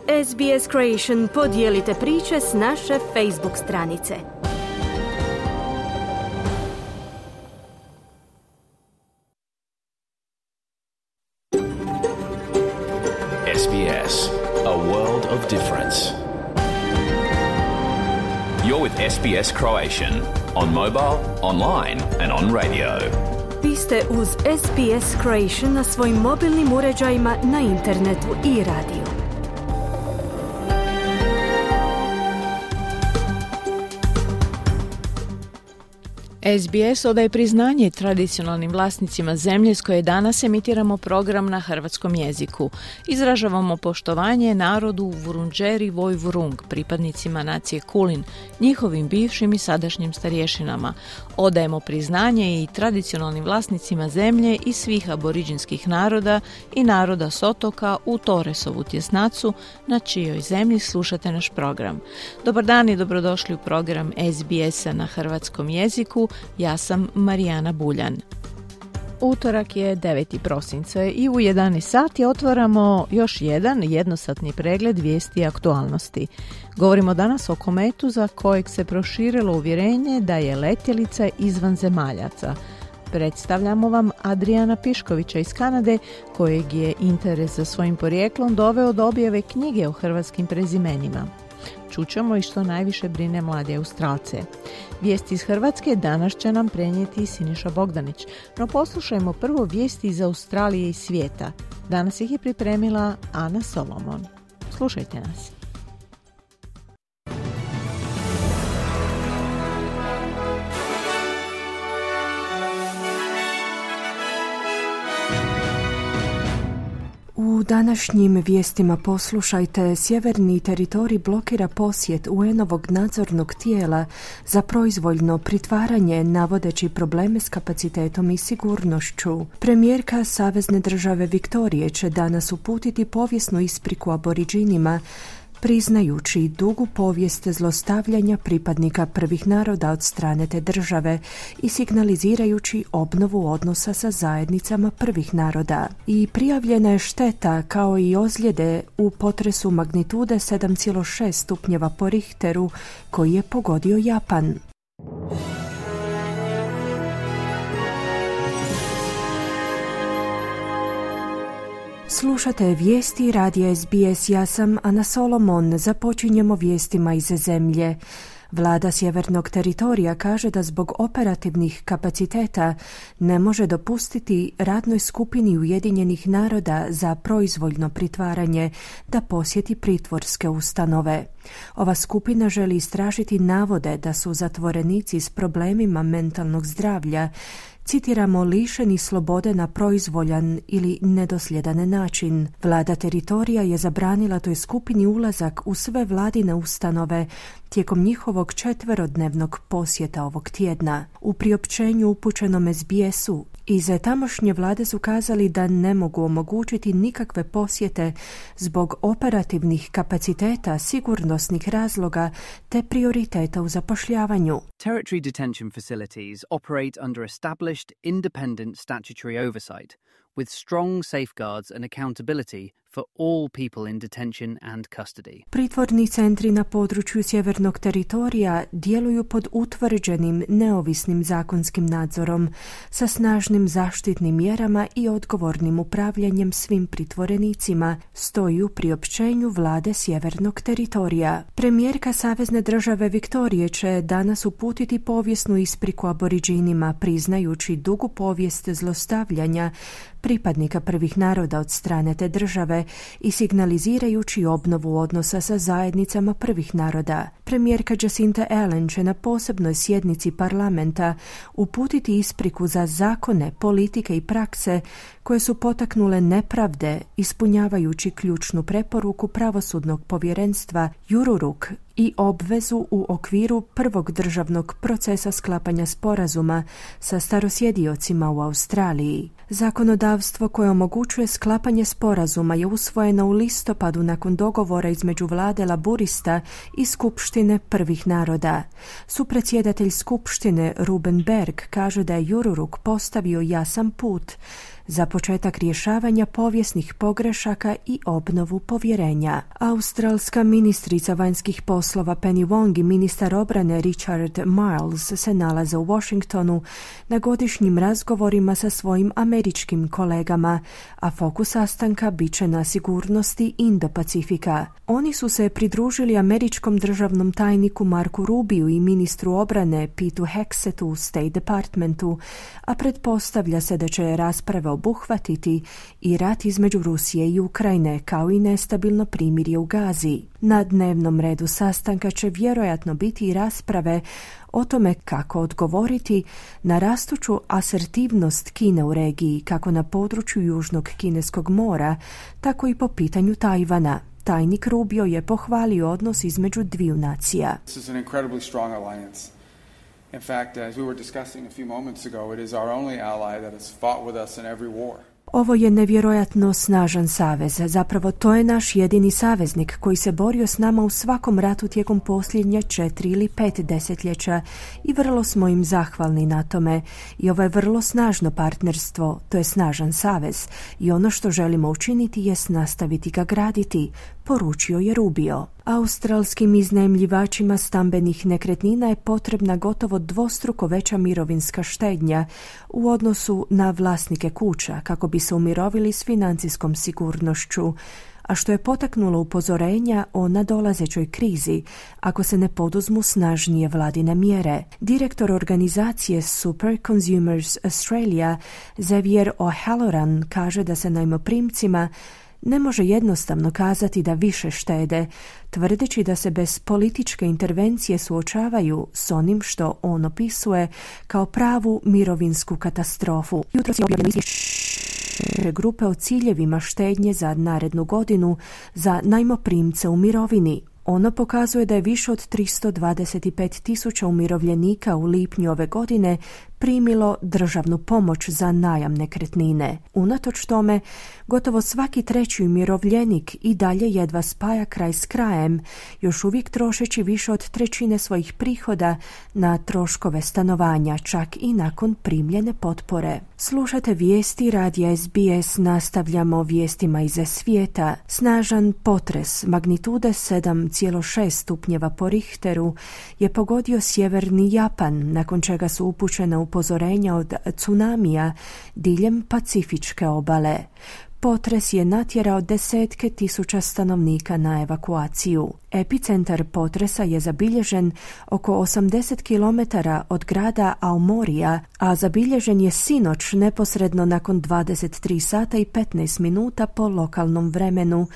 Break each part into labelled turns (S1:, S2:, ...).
S1: SBS Creation podijelite priče s naše Facebook stranice.
S2: SBS, a world of difference. You're with SBS Croatian on mobile, online and on radio.
S1: Vi ste uz SBS Croatian na svojim mobilnim uređajima, na internetu i radiju.
S3: SBS odaje priznanje tradicionalnim vlasnicima zemlje s koje danas emitiramo program na hrvatskom jeziku. Izražavamo poštovanje narodu Vurundjeri Woi-wurrung, pripadnicima nacije Kulin, njihovim bivšim i sadašnjim starješinama. Odajemo priznanje i tradicionalnim vlasnicima zemlje i svih aboriđinskih naroda i naroda s otoka u Torresovu tjesnacu, na čijoj zemlji slušate naš program. Dobar dan i dobrodošli u program SBS-a na hrvatskom jeziku. Ja sam Marijana Buljan. Utorak je 9. prosinca i u 11 sati otvaramo još jedan jednosatni pregled vijesti i aktualnosti. Govorimo danas o kometu za kojeg se proširilo uvjerenje da je letjelica izvanzemaljaca. Predstavljamo vam Adriana Piškovića iz Kanade, kojeg je interes za svojim porijeklom doveo do objave knjige o hrvatskim prezimenima. Čućemo i što najviše brine mlade Australce. Vijesti iz Hrvatske danas će nam prenijeti Siniša Bogdanić, no poslušajmo prvo vijesti iz Australije i svijeta. Danas ih je pripremila Ana Solomon. Slušajte nas.
S4: U današnjim vijestima poslušajte: sjeverni teritorij blokira posjet UN-ovog nadzornog tijela za proizvoljno pritvaranje navodeći probleme s kapacitetom i sigurnošću. Premijerka Savezne države Viktorije će danas uputiti povijesnu ispriku aboriđinima, priznajući dugu povijest zlostavljanja pripadnika prvih naroda od strane te države i signalizirajući obnovu odnosa sa zajednicama prvih naroda. I prijavljena je šteta kao i ozljede u potresu magnitude 7,6 stupnjeva po Richteru koji je pogodio Japan. Slušate vijesti radija SBS, ja sam Ana Solomon. Započinjemo vijestima iz zemlje. Vlada sjevernog teritorija kaže da zbog operativnih kapaciteta ne može dopustiti radnoj skupini Ujedinjenih naroda za proizvoljno pritvaranje da posjeti pritvorske ustanove. Ova skupina želi istražiti navode da su zatvorenici s problemima mentalnog zdravlja, citiramo, lišeni slobode na proizvoljan ili nedosljedan način. Vlada teritorija je zabranila toj skupini ulazak u sve vladine ustanove tijekom njihovog 4-dnevnog posjeta ovog tjedna. U priopćenju upućenom SBS-u iz tamošnje vlade su kazali da ne mogu omogućiti nikakve posjete zbog operativnih kapaciteta, sigurnosnih razloga te prioriteta u zapošljavanju.
S5: Territory detention facilities operate under established independent statutory oversight with strong safeguards and accountability for all people in detention and custody.
S4: Pritvorni centri na području sjevernog teritorija djeluju pod utvrđenim neovisnim zakonskim nadzorom sa snažnim zaštitnim mjerama i odgovornim upravljanjem svim pritvorenicima, stoji u priopćenju vlade sjevernog teritorija. Premijerka Savezne države Viktorije će danas uputiti povijesnu ispriku aboriđinima, priznajući dugu povijest zlostavljanja pripadnika prvih naroda od strane te države i signalizirajući obnovu odnosa sa zajednicama prvih naroda. Premijerka Jacinta Ardern će na posebnoj sjednici parlamenta uputiti ispriku za zakone, politike i prakse koje su potaknule nepravde, ispunjavajući ključnu preporuku pravosudnog povjerenstva Jururuk i obvezu u okviru prvog državnog procesa sklapanja sporazuma sa starosjediocima u Australiji. Zakonodavstvo koje omogućuje sklapanje sporazuma je usvojeno u listopadu nakon dogovora između vlade Laburista i Skupštine prvih naroda. Supredsjedatelj Skupštine Ruben Berg kaže da je Jururuk postavio jasan put za početak rješavanja povijesnih pogrešaka i obnovu povjerenja. Australska ministrica vanjskih poslova Penny Wong i ministar obrane Richard Marles se nalaze u Washingtonu na godišnjim razgovorima sa svojim američkim kolegama, a fokus sastanka bit će na sigurnosti Indo-Pacifika. Oni su se pridružili američkom državnom tajniku Marku Rubiju i ministru obrane Peteu Hexetu u State Departmentu, a pretpostavlja se da će rasprave obuhvatiti i rat između Rusije i Ukrajine, kao i nestabilno primirje u Gazi. Na dnevnom redu sastanka će vjerojatno biti i rasprave o tome kako odgovoriti na rastuću asertivnost Kine u regiji, kako na području Južnog Kineskog mora, tako i po pitanju Tajvana. Tajnik Rubio je pohvalio odnos između dviju nacija.
S6: This is an incredibly strong alliance. In fact, as we were discussing a few moments ago, it is our only ally that has fought with us in every war.
S4: Ovo je nevjerojatno snažan savez. Zapravo to je naš jedini saveznik koji se borio s nama u svakom ratu tijekom posljednja 4 ili 5 desetljeća i vrlo smo im zahvalni na tome. I ovo je vrlo snažno partnerstvo, to je snažan savez i ono što želimo učiniti jest nastaviti ga graditi, poručio je Rubio. Australskim iznajmljivačima stambenih nekretnina je potrebna gotovo dvostruko veća mirovinska štednja u odnosu na vlasnike kuća kako bi se umirovili s financijskom sigurnošću, a što je potaknulo upozorenja o nadolazećoj krizi ako se ne poduzmu snažnije vladine mjere. Direktor organizacije Super Consumers Australia Xavier O'Halloran kaže da se najmoprimcima ne može jednostavno kazati da više štede, tvrdeći da se bez političke intervencije suočavaju s onim što on opisuje kao pravu mirovinsku katastrofu. Jutros je objavljeno izvješće grupe o ciljevima štednje za narednu godinu za najmoprimce u mirovini. Ono pokazuje da je više od 325.000 umirovljenika u lipnju ove godine primilo državnu pomoć za najam nekretnine. Unatoč tome, gotovo svaki treći umirovljenik i dalje jedva spaja kraj s krajem, još uvijek trošeći više od trećine svojih prihoda na troškove stanovanja, čak i nakon primljene potpore. Slušate vijesti radija SBS, nastavljamo vijestima iz svijeta. Snažan potres magnitude 7,6 stupnjeva po Richteru je pogodio sjeverni Japan, nakon čega su upućena upozorenja od tsunamija diljem Pacifičke obale. Potres je natjerao desetke tisuća stanovnika na evakuaciju. Epicentar potresa je zabilježen oko 80 km od grada Aomorija, a zabilježen je sinoć neposredno nakon 23 sata i 15 minuta po lokalnom vremenu,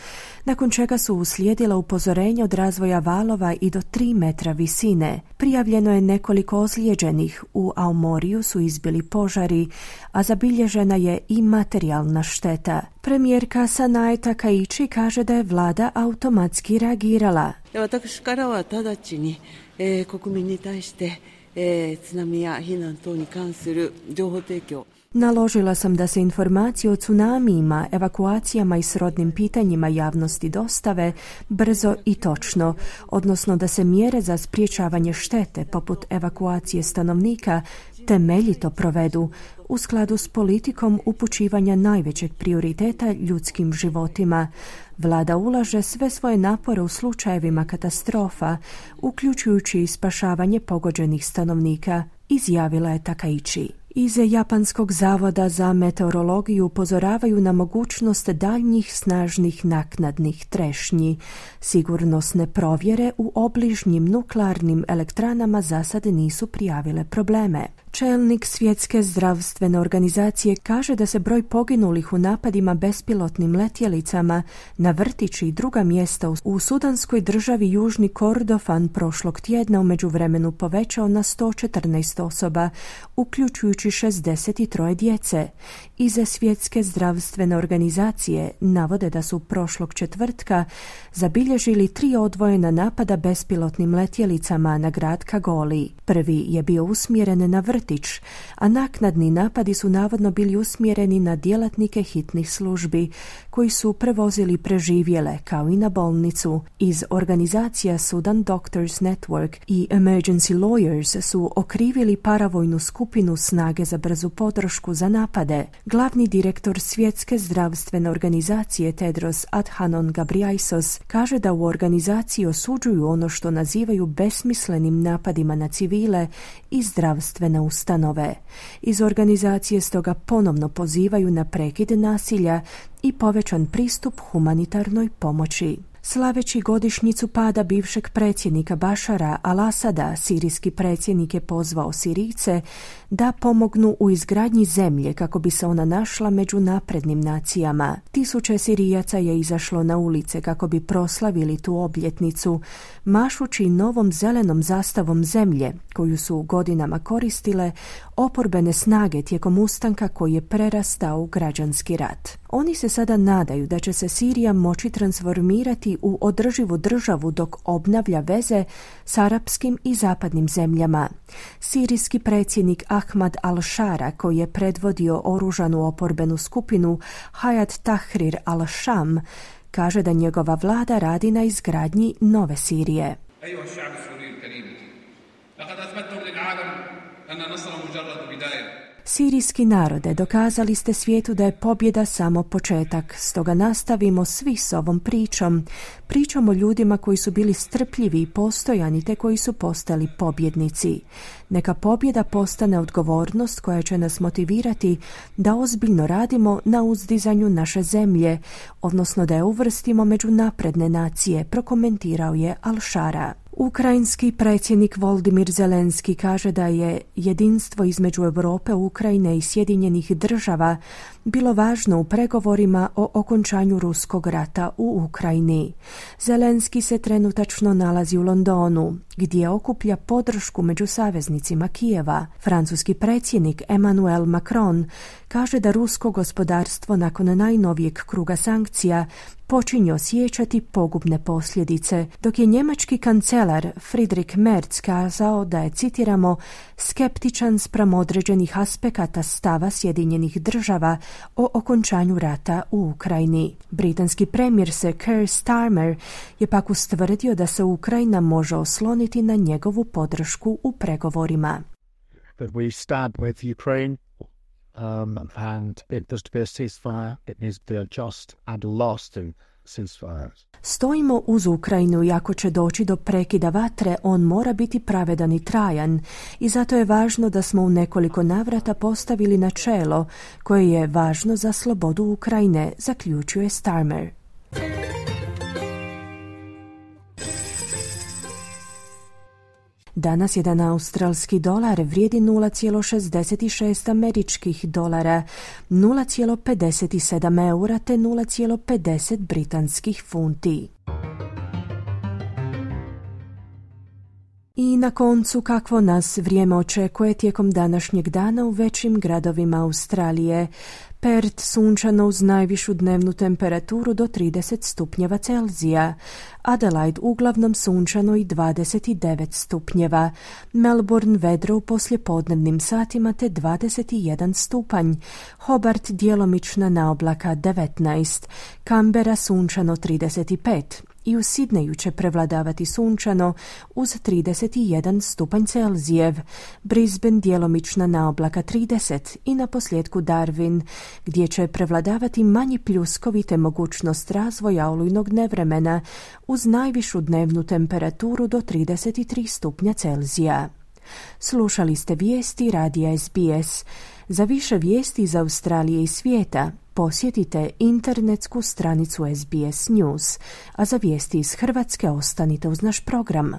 S4: nakon čega su uslijedila upozorenja od razvoja valova i do 3 metra visine. Prijavljeno je nekoliko ozlijeđenih, u Aomoriju su izbili požari, a zabilježena je i materijalna šteta. Premijerka Sanae Takaichi kaže da je vlada automatski reagirala.
S7: 私からは直ちに国民に対して津波や避難等に関する情報提供
S4: Naložila sam da se informacije o tsunamijima, evakuacijama i srodnim pitanjima javnosti dostave brzo i točno, odnosno da se mjere za sprječavanje štete, poput evakuacije stanovnika, temeljito provedu u skladu s politikom upućivanja najvećeg prioriteta ljudskim životima. Vlada ulaže sve svoje napore u slučajevima katastrofa, uključujući i spašavanje pogođenih stanovnika, izjavila je Takaichi. Iz Japanskog zavoda za meteorologiju upozoravaju na mogućnost daljnjih snažnih naknadnih trešnji. Sigurnosne provjere u obližnjim nuklearnim elektranama za sad nisu prijavile probleme. Čelnik Svjetske zdravstvene organizacije kaže da se broj poginulih u napadima bespilotnim letjelicama na vrtići i druga mjesta u sudanskoj državi Južni Kordofan prošlog tjedna u međuvremenu povećao na 114 osoba, uključujući 63 djece. Iz Svjetske zdravstvene organizacije navode da su prošlog četvrtka zabilježili 3 odvojena napada bespilotnim letjelicama na grad Kagoli. Prvi je bio usmjeren na vrtić vrtić, a naknadni napadi su navodno bili usmjereni na djelatnike hitnih službi, koji su prevozili preživjele, kao i na bolnicu. Iz organizacija Sudan Doctors Network i Emergency Lawyers su okrivili paravojnu skupinu Snage za brzu podršku za napade. Glavni direktor Svjetske zdravstvene organizacije Tedros Adhanom Ghebreyesus kaže da u organizaciji osuđuju ono što nazivaju besmislenim napadima na civile i zdravstvene ustanove. Iz organizacije stoga ponovno pozivaju na prekid nasilja i povećan pristup humanitarnoj pomoći. Slaveći godišnjicu pada bivšeg predsjednika Bašara al-Asada, sirijski predsjednik je pozvao Sirijce da pomognu u izgradnji zemlje kako bi se ona našla među naprednim nacijama. Tisuće Sirijaca je izašlo na ulice kako bi proslavili tu obljetnicu, mašući novom zelenom zastavom zemlje, koju su godinama koristile oporbene snage tijekom ustanka koji je prerastao u građanski rat. Oni se sada nadaju da će se Sirija moći transformirati u održivu državu dok obnavlja veze s arapskim i zapadnim zemljama. Sirijski predsjednik Ahmad al-Shara, koji je predvodio oružanu oporbenu skupinu Hayat Tahrir al-Sham, kaže da njegova vlada radi na izgradnji nove Sirije. Sirijski narode, dokazali ste svijetu da je pobjeda samo početak, stoga nastavimo svi s ovom pričom o ljudima koji su bili strpljivi i postojani te koji su postali pobjednici. Neka pobjeda postane odgovornost koja će nas motivirati da ozbiljno radimo na uzdizanju naše zemlje, odnosno da je uvrstimo među napredne nacije, prokomentirao je al-Shara. Ukrajinski predsjednik Volodymyr Zelenski kaže da je jedinstvo između Europe, Ukrajine i Sjedinjenih država bilo važno u pregovorima o okončanju ruskog rata u Ukrajini. Zelenski se trenutačno nalazi u Londonu, gdje okuplja podršku među saveznicima Kijeva. Francuski predsjednik Emmanuel Macron kaže da rusko gospodarstvo nakon najnovijeg kruga sankcija počinje osjećati pogubne posljedice, dok je njemački kancelar Friedrich Merz kazao da je, citiramo, skeptičan spram određenih aspekata stava Sjedinjenih država o okončanju rata u Ukrajini. Britanski premijer Keir Starmer je pak ustvrdio da se Ukrajina može osloniti na njegovu podršku u pregovorima.
S8: But we stand with Ukraine. And it does to be a ceasefire, it needs to be a just and lasting ceasefire.
S4: Stojimo uz Ukrajinu i ako će doći do prekida vatre, on mora biti pravedan i trajan i zato je važno da smo u nekoliko navrata postavili načelo koje je važno za slobodu Ukrajine, zaključuje Starmer. Danas jedan australski dolar vrijedi 0,66 američkih dolara, 0,57 eura te 0,50 britanskih funti. I na koncu, kakvo nas vrijeme očekuje tijekom današnjeg dana u većim gradovima Australije. Perth sunčano uz najvišu dnevnu temperaturu do 30 stupnjeva Celzija. Adelaide uglavnom sunčano i 29 stupnjeva. Melbourne vedro u poslijepodnevnim satima te 21 stupanj. Hobart djelomična naoblaka 19. Canberra sunčano 35. I u Sidneju će prevladavati sunčano uz 31 stupanj Celzijev, Brisbane djelomična naoblaka 30 i na posljedku Darwin, gdje će prevladavati manji pljuskovi te mogućnost razvoja olujnog nevremena uz najvišu dnevnu temperaturu do 33 stupnja Celzija. Slušali ste vijesti radija SBS. Za više vijesti iz Australije i svijeta posjetite internetsku stranicu SBS News, a za vijesti iz Hrvatske ostanite uz naš program.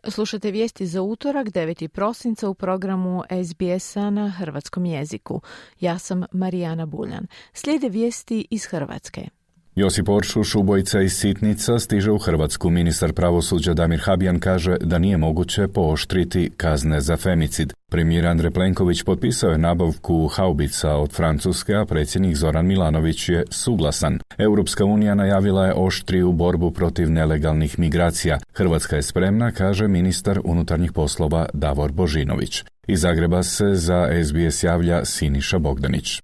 S3: Slušate vijesti za utorak 9. prosinca u programu SBS-a na hrvatskom jeziku. Ja sam Marijana Buljan. Slijede vijesti iz Hrvatske.
S9: Josip Oršuš, ubojica iz Sitnica, stiže u Hrvatsku. Ministar pravosuđa Damir Habijan kaže da nije moguće pooštriti kazne za femicid. Premijer Andrej Plenković potpisao je nabavku haubica od Francuske, a predsjednik Zoran Milanović je suglasan. Europska unija najavila je oštriju borbu protiv nelegalnih migracija. Hrvatska je spremna, kaže ministar unutarnjih poslova Davor Božinović. Iz Zagreba se za SBS javlja Siniša Bogdanić.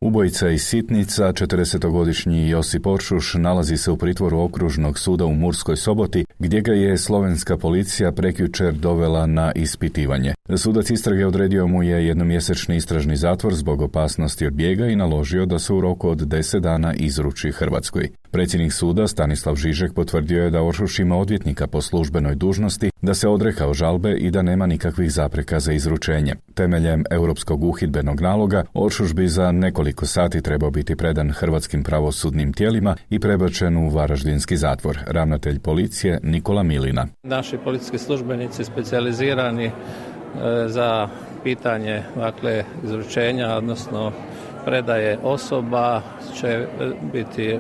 S9: Ubojica iz Sitnica, 40-godišnji Josip Oršuš, nalazi se u pritvoru Okružnog suda u Murskoj Soboti, gdje ga je slovenska policija prekjučer dovela na ispitivanje. Sudac istrage odredio mu je jednomjesečni istražni zatvor zbog opasnosti od bijega i naložio da se u roku od 10 dana izruči Hrvatskoj. Predsjednik suda Stanislav Žižek potvrdio je da Oršuš ima odvjetnika po službenoj dužnosti, da se odrekao žalbe i da nema nikakvih zapreka za izručenje. Temeljem europskog uhidbenog naloga, Oršuš bi za nekoliko sati trebao biti predan hrvatskim pravosudnim tijelima i prebačen u varaždinski zatvor. Ravnatelj policije Nikola Milina.
S10: Naši policijski službenici specijalizirani za pitanje izručenja, odnosno predaje osoba će biti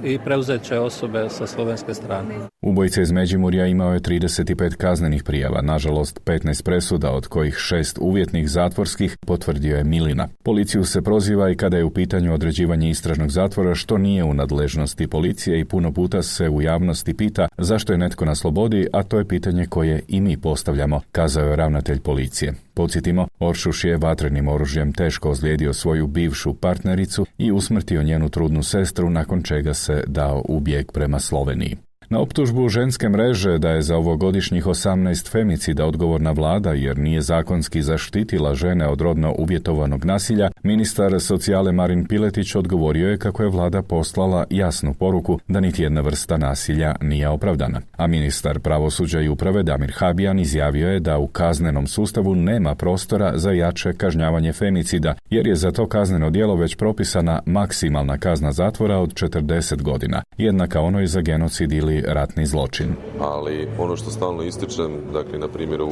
S10: i preuzet će osobe sa slovenske strane.
S9: Ubojica iz Međimurja imao je 35 kaznenih prijava, nažalost 15 presuda, od kojih 6 uvjetnih zatvorskih, potvrdio je Milina. Policiju se proziva i kada je u pitanju određivanje istražnog zatvora, što nije u nadležnosti policije, i puno puta se u javnosti pita zašto je netko na slobodi, a to je pitanje koje i mi postavljamo, kazao je ravnatelj policije. Podsjetimo, Oršuš je vatrenim oružjem teško ozlijedio svoju bivšu partnericu i usmrtio njenu trudnu sestru, nakon čega se dao u bijeg prema Sloveniji. Na optužbu ženske mreže da je za ovogodišnjih 18 femicida odgovorna vlada jer nije zakonski zaštitila žene od rodno uvjetovanog nasilja, ministar socijale Marin Piletić odgovorio je kako je vlada poslala jasnu poruku da niti jedna vrsta nasilja nije opravdana. A ministar pravosuđa i uprave Damir Habijan izjavio je da u kaznenom sustavu nema prostora za jače kažnjavanje femicida, jer je za to kazneno djelo već propisana maksimalna kazna zatvora od 40 godina, jednaka onoj za genocid ili ratni zločin.
S11: Ali ono što stalno ističem, dakle na primjeru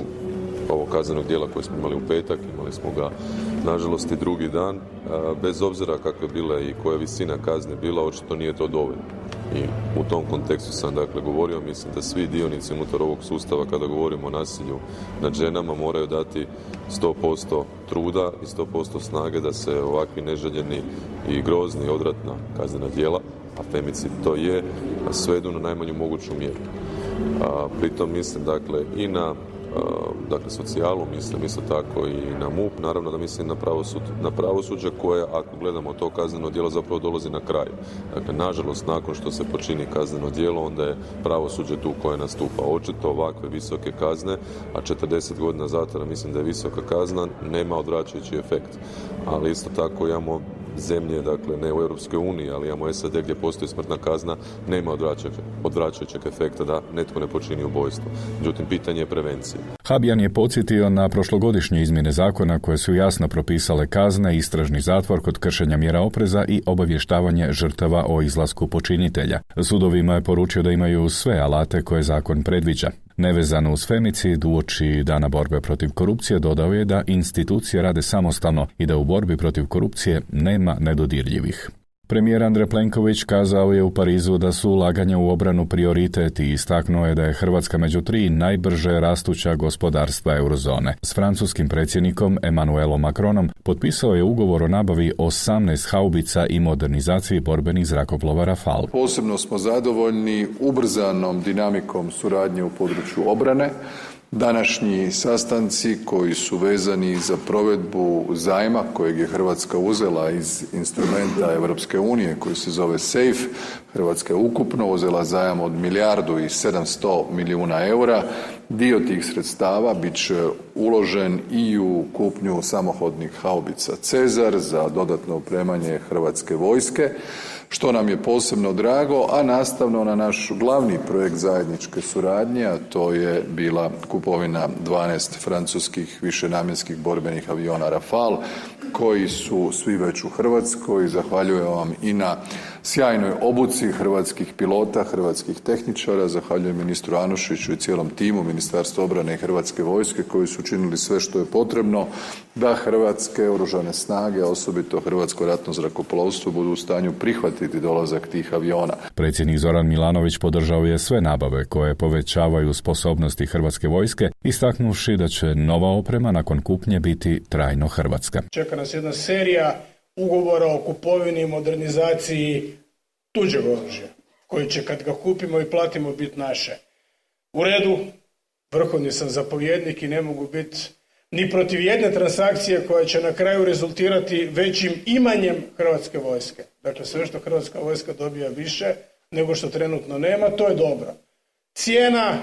S11: ovog kaznenog djela koje smo imali u petak, imali smo ga nažalost i drugi dan, bez obzira kakve bile i koja visina kazne bila, očito nije to dovoljno. I u tom kontekstu sam govorio, mislim da svi dionici unutar ovog sustava kada govorimo o nasilju nad ženama moraju dati 100% truda i 100% snage da se ovakvi neželjeni i grozni odvratna kaznena djela, a femicid to je, svedu na najmanju moguću mjeru. Pritom mislim i na socijalu, mislim isto tako i na MUP, naravno da mislim na pravosuđe koje, ako gledamo to kazneno djelo, zapravo dolazi na kraju. Dakle, nažalost, nakon što se počini kazneno djelo, onda je pravosuđe tu koje nastupa. Očito ovakve visoke kazne, a 40 godina zatvora mislim da je visoka kazna, nema odvraćajući efekt. Ali isto tako imamo zemlje, ne u Europskoj uniji, ali imamo SAD gdje postoji smrtna kazna, nema odvraćajućeg efekta da netko ne počini ubojstvo. Međutim, pitanje je prevencije.
S9: Habijan je podsjetio na prošlogodišnje izmjene zakona koje su jasno propisale kazne, istražni zatvor kod kršenja mjera opreza i obavještavanje žrtava o izlasku počinitelja. Sudovima je poručio da imaju sve alate koje zakon predviđa. Nevezano uz femicid, uoči Dana borbe protiv korupcije, dodao je da institucije rade samostalno i da u borbi protiv korupcije nema nedodirljivih. Premijer Andrej Plenković kazao je u Parizu da su ulaganja u obranu prioritet i istaknuo je da je Hrvatska među 3 najbrže rastuća gospodarstva eurozone. S francuskim predsjednikom Emmanuelom Macronom potpisao je ugovor o nabavi 18 haubica i modernizaciji borbenih zrakoplova Rafale.
S12: Posebno smo zadovoljni ubrzanom dinamikom suradnje u području obrane. Današnji sastanci koji su vezani za provedbu zajma kojeg je Hrvatska uzela iz instrumenta Europske unije koji se zove SAFE, Hrvatska je ukupno uzela zajam od 1.700 milijuna eura. Dio tih sredstava bit će uložen i u kupnju samohodnih haubica Cezar za dodatno opremanje Hrvatske vojske, što nam je posebno drago, a nastavno na naš glavni projekt zajedničke suradnje, a to je bila kupovina 12 francuskih višenamjenskih borbenih aviona Rafale, koji su svi već u Hrvatskoj. Zahvaljujem vam i na sjajnoj obuci hrvatskih pilota, hrvatskih tehničara. Zahvaljujem ministru Anušiću i cijelom timu Ministarstva obrane i Hrvatske vojske koji su učinili sve što je potrebno da hrvatske oružane snage, osobito Hrvatsko ratno zrakoplovstvo, budu u stanju prihvatiti dolazak tih aviona.
S9: Predsjednik Zoran Milanović podržao je sve nabave koje povećavaju sposobnosti Hrvatske vojske, istaknuvši da će nova oprema nakon kupnje biti trajno hrvatska.
S13: Čeka nas jedna serija ugovora o kupovini i modernizaciji tuđeg oružja, koji će kad ga kupimo i platimo biti naše. U redu, vrhovni sam zapovjednik i ne mogu biti ni protiv jedne transakcije koja će na kraju rezultirati većim imanjem Hrvatske vojske. Dakle, sve što Hrvatska vojska dobija više nego što trenutno nema, to je dobro. Cijena,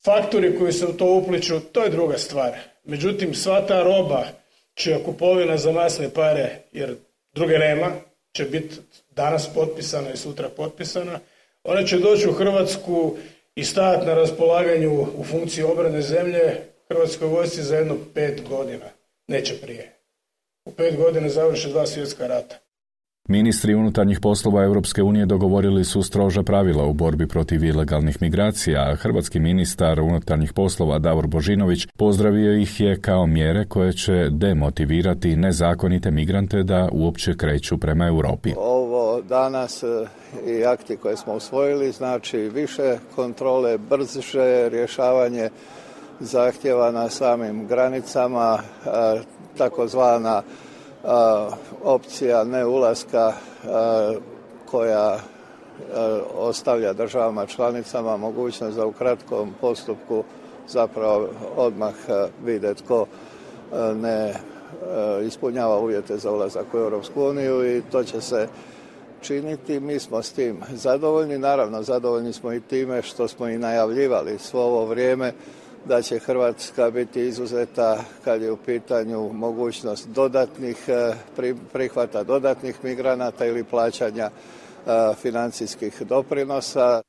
S13: faktori koji se u to upliču, to je druga stvar. Međutim, sva ta roba čija kupovina za masne pare, jer druge nema, će biti danas potpisana i sutra potpisana, ona će doći u Hrvatsku i stajati na raspolaganju u funkciji obrane zemlje Hrvatskoj vojsci za jedno 5 godina. Neće prije. U 5 godina završe 2 svjetska rata.
S9: Ministri unutarnjih poslova Europske unije dogovorili su stroža pravila u borbi protiv ilegalnih migracija, a hrvatski ministar unutarnjih poslova Davor Božinović pozdravio ih je kao mjere koje će demotivirati nezakonite migrante da uopće kreću prema Europi.
S14: Ovo danas i akti koje smo usvojili znači više kontrole, brže rješavanje zahtjeva na samim granicama, takozvana opcija neulaska koja ostavlja državama članicama mogućnost da u kratkom postupku zapravo odmah vide tko ne ispunjava uvjete za ulazak u Europsku uniju i to će se činiti. Mi smo s tim zadovoljni. Naravno, zadovoljni smo i time što smo i najavljivali svo ovo vrijeme da će Hrvatska biti izuzeta kad je u pitanju mogućnost dodatnih prihvata dodatnih migranata ili plaćanja financijskih doprinosa.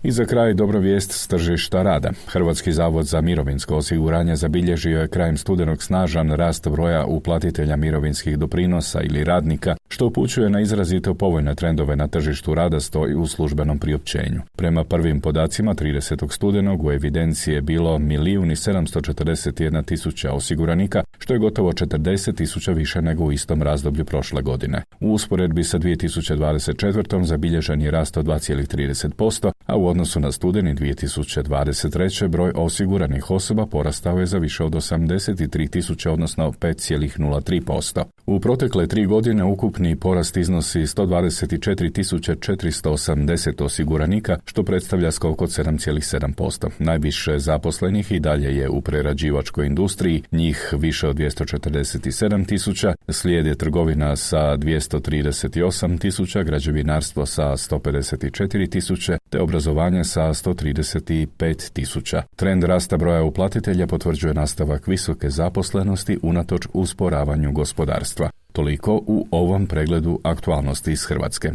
S9: I za kraj dobra vijest s tržišta rada. Hrvatski zavod za mirovinsko osiguranje zabilježio je krajem studenog snažan rast broja uplatitelja mirovinskih doprinosa ili radnika, što upućuje na izrazito povoljne trendove na tržištu rada, stoji u službenom priopćenju. Prema prvim podacima 30. studenog u evidenciji je bilo 1.741.000 osiguranika, što je gotovo 40.000 više nego u istom razdoblju prošle godine. U usporedbi sa 2024. zabilježen je rast od 2,30%, a u odnosu na studeni 2023. broj osiguranih osoba porastao je za više od 83.000, odnosno 5,03%. U protekle 3 godine ukupni porast iznosi 124.480 osiguranika, što predstavlja skok od 7,7%. Najviše zaposlenih i dalje je u prerađivačkoj industriji, njih više od 247.000, slijede trgovina sa 238.000, građevinarstvo sa 154.000, te obrazovanje sa 135.000. Trend rasta broja uplatitelja potvrđuje nastavak visoke zaposlenosti unatoč usporavanju gospodarstva. Toliko u ovom pregledu aktualnosti iz Hrvatske.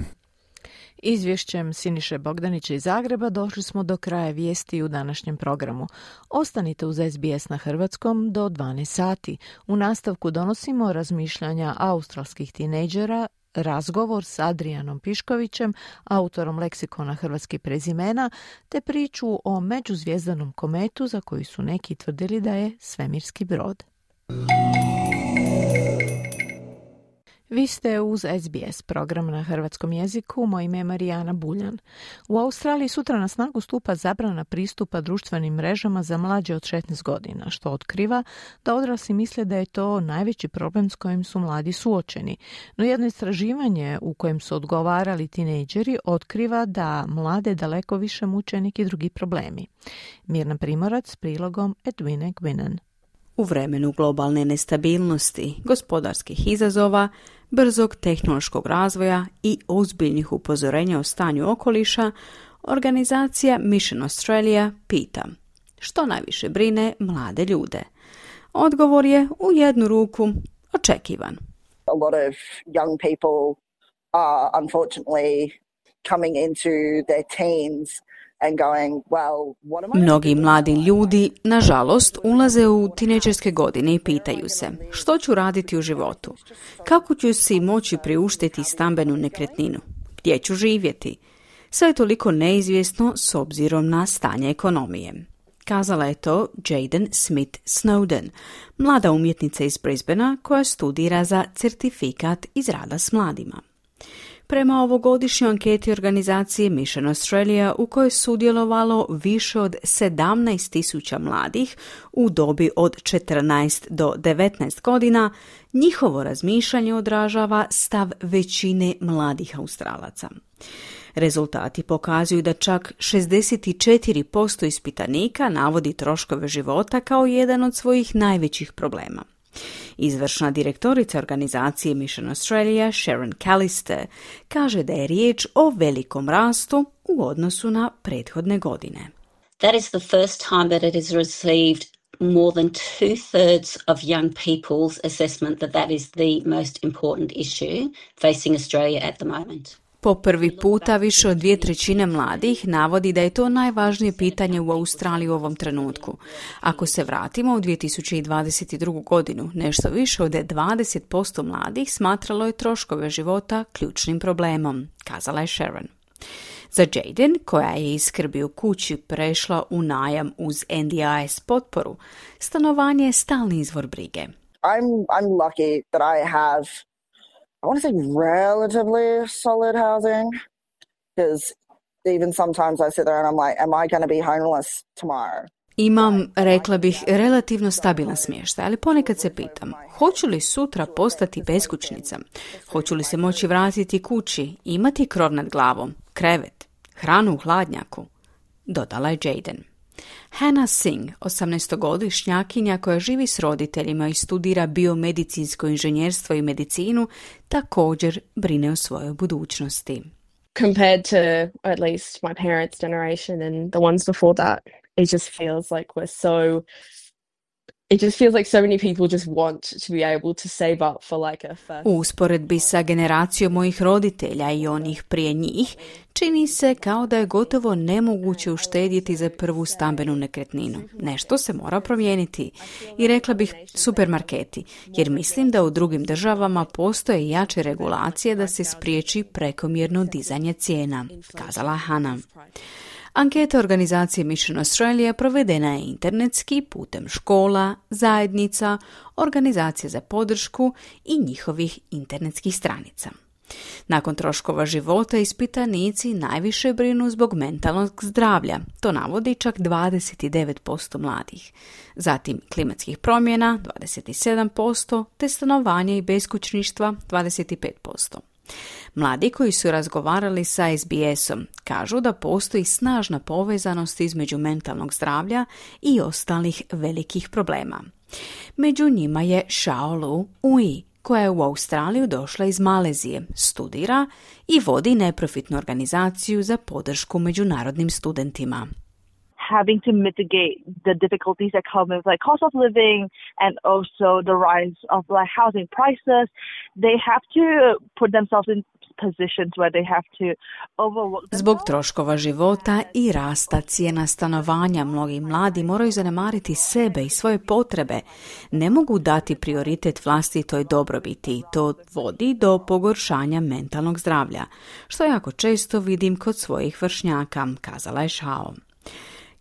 S3: Izvješćem Siniše Bogdanića iz Zagreba došli smo do kraja vijesti u današnjem programu. Ostanite uz SBS na hrvatskom do 12 sati. U nastavku donosimo razmišljanja australskih tinejdžera, razgovor s Adrijanom Piškovićem, autorom leksikona hrvatskih prezimena, te priču o međuzvjezdanom kometu za koji su neki tvrdili da je svemirski brod. Vi ste uz SBS, program na hrvatskom jeziku. Moje ime je Marijana Buljan. U Australiji sutra na snagu stupa zabrana pristupa društvenim mrežama za mlađe od 16 godina, što otkriva da odrasli misle da je to najveći problem s kojim su mladi suočeni. No jedno istraživanje u kojem su odgovarali tinejdžeri otkriva da mlade daleko više muče neki drugi problemi. Mirna Primorac s prilogom Edwine Gwinan.
S15: U vremenu globalne nestabilnosti, gospodarskih izazova, brzog tehnološkog razvoja i ozbiljnih upozorenja o stanju okoliša, organizacija Mission Australia pita: što najviše brine mlade ljude? Odgovor je u jednu ruku očekivan.
S16: A lot of young people are unfortunately coming into their teens and going, well, what am I?
S15: Mnogi mladi ljudi, nažalost, ulaze u tinejdžerske godine i pitaju se što ću raditi u životu, kako ću si moći priuštiti stambenu nekretninu, gdje ću živjeti. Sve je toliko neizvjesno s obzirom na stanje ekonomije. Kazala je to Jaden Smith Snowden, mlada umjetnica iz Brisbanea koja studira za certifikat iz rada s mladima. Prema ovogodišnjoj anketi organizacije Mission Australia u kojoj je sudjelovalo više od 17.000 mladih u dobi od 14 do 19 godina, njihovo razmišljanje odražava stav većine mladih Australaca. Rezultati pokazuju da čak 64% ispitanika navodi troškove života kao jedan od svojih najvećih problema. Izvršna direktorica organizacije Mission Australia, Sharon Callister, kaže da je riječ o velikom rastu u odnosu na prethodne godine.
S17: That is the first time that it has received more than 2/3 of young people's assessment that is the most important issue facing Australia at the moment.
S15: Po prvi puta više od 2/3 mladih navodi da je to najvažnije pitanje u Australiji u ovom trenutku. Ako se vratimo u 2022. godinu, nešto više od 20% mladih smatralo je troškove života ključnim problemom, kazala je Sharon. Za Jaden, koja je iz skrbi u kući prešla u najam uz NDIS potporu, stanovanje je stalni izvor brige.
S16: I'm lucky that I have, I want to say, relatively solid housing, because even sometimes I sit there and I'm like, am I going to be homeless tomorrow?
S15: Imam, rekla bih, relativno stabilan smještaj, ali ponekad se pitam, hoću li sutra postati beskućnica? Hoću li se moći vratiti kući, imati krov nad glavom, krevet, hranu u hladnjaku? Dodala je Jaden. Hannah Singh, 18-godišnjakinja koja živi s roditeljima i studira biomedicinsko inženjerstvo i medicinu, također brine o svojoj budućnosti.
S18: Compared to at least my parents' generation and the ones before that, it just feels like it just feels like so many people just want to be able to save up for like a first.
S15: U usporedbi sa generacijom mojih roditelja i onih prije njih, čini se kao da je gotovo nemoguće uštedjeti za prvu stambenu nekretninu. Nešto se mora promijeniti. I rekla bih supermarketi, jer mislim da u drugim državama postoje jače regulacije da se spriječi prekomjerno dizanje cijena, kazala Hannah. Anketa organizacije Mission Australia provedena je internetski putem škola, zajednica, organizacija za podršku i njihovih internetskih stranica. Nakon troškova života ispitanici najviše brinu zbog mentalnog zdravlja, to navodi čak 29% mladih. Zatim klimatskih promjena 27%, te stanovanja i beskućništva 25%. Mladi koji su razgovarali sa SBS-om kažu da postoji snažna povezanost između mentalnog zdravlja i ostalih velikih problema. Među njima je Xiaolu Ui, koja je u Australiju došla iz Malezije, studira i vodi neprofitnu organizaciju za podršku međunarodnim studentima.
S19: Having to mitigate the difficulties that come with like cost of living and also the rise of like housing prices, they have to put themselves in positions where they have to overwork themselves.
S15: Zbog troškova života i rasta cijena stanovanja, mnogi mladi moraju zanemariti sebe i svoje potrebe. Ne mogu dati prioritet vlastitoj dobrobiti i to vodi do pogoršanja mentalnog zdravlja, što jako često vidim kod svojih vršnjaka, kazala je Shao.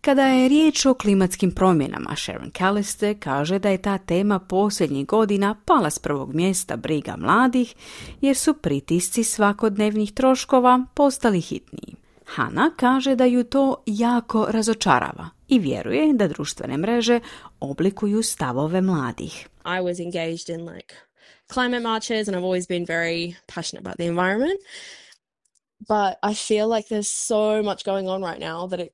S15: Kada je riječ o klimatskim promjenama, Sharon Callister kaže da je ta tema posljednjih godina pala s prvog mjesta briga mladih, jer su pritisci svakodnevnih troškova postali hitniji. Hannah kaže da ju to jako razočarava i vjeruje da društvene mreže oblikuju stavove mladih.
S18: I was engaged in like climate marches and I've always been very passionate about the environment. But I feel like there's so much going on right now that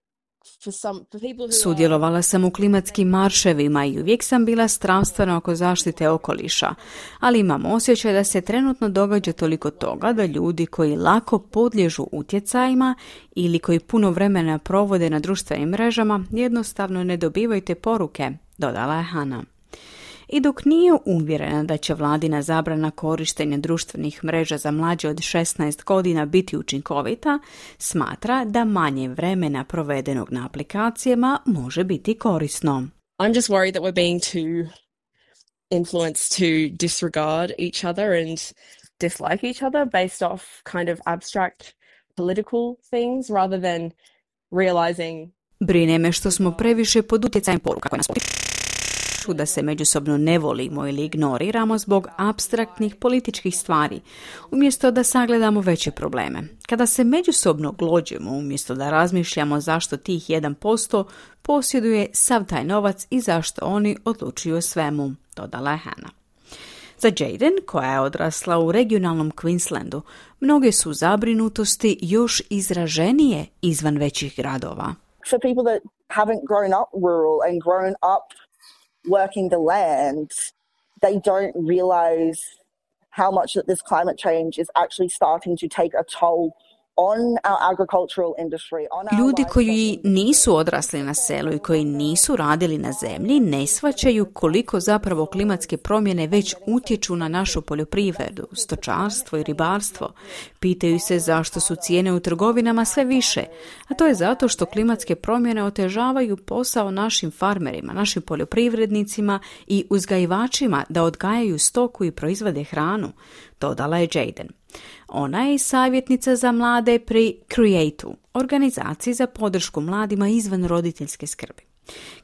S15: Sudjelovala sam u klimatskim marševima i uvijek sam bila strastvena oko zaštite okoliša, ali imam osjećaj da se trenutno događa toliko toga da ljudi koji lako podliježu utjecajima ili koji puno vremena provode na društvenim mrežama jednostavno ne dobivaju te poruke, dodala je Hannah. I dok nije uvjerena da će vladina zabrana korištenja društvenih mreža za mlađe od 16 godina biti učinkovita, smatra da manje vremena provedenog na aplikacijama može biti korisno.
S18: I'm just worried that we're being too influenced to disregard each other and dislike each other based off kind of abstract political things rather than realizing.
S15: Brine me što smo previše pod utjecajem poruka koje nas potiču da se međusobno ne volimo ili ignoriramo zbog apstraktnih političkih stvari, umjesto da sagledamo veće probleme. Kada se međusobno glođemo, umjesto da razmišljamo zašto tih 1% posjeduje sav taj novac i zašto oni odlučuju o svemu, dodala je Hannah. Za Jaden, koja je odrasla u regionalnom Queenslandu, mnoge su zabrinutosti još izraženije izvan većih gradova.
S16: For people that haven't grown up rural and grown up working the land, they don't realize how much that this climate change is actually starting to take a toll on our agricultural industry.
S15: Ljudi koji nisu odrasli na selu i koji nisu radili na zemlji ne shvaćaju koliko zapravo klimatske promjene već utječu na našu poljoprivredu, stočarstvo i ribarstvo. Pitaju se zašto su cijene u trgovinama sve više, a to je zato što klimatske promjene otežavaju posao našim farmerima, našim poljoprivrednicima i uzgajivačima da odgajaju stoku i proizvode hranu, dodala je Jaden. Ona je savjetnica za mlade pri Create-u, organizaciji za podršku mladima izvan roditeljske skrbi.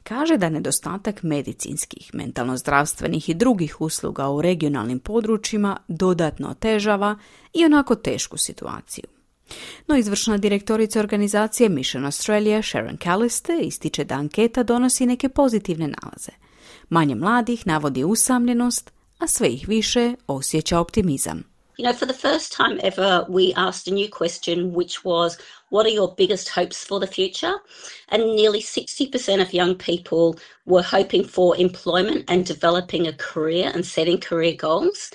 S15: Kaže da nedostatak medicinskih, mentalno-zdravstvenih i drugih usluga u regionalnim područjima dodatno otežava i onako tešku situaciju. No izvršna direktorica organizacije Mission Australia, Sharon Callister, ističe da anketa donosi neke pozitivne nalaze. Manje mladih navodi usamljenost, a sve ih više osjeća optimizam.
S17: You know, for the first time ever, we asked a new question, which was, what are your biggest hopes for the future? And nearly 60% of young people were hoping for employment and developing a career and setting career goals.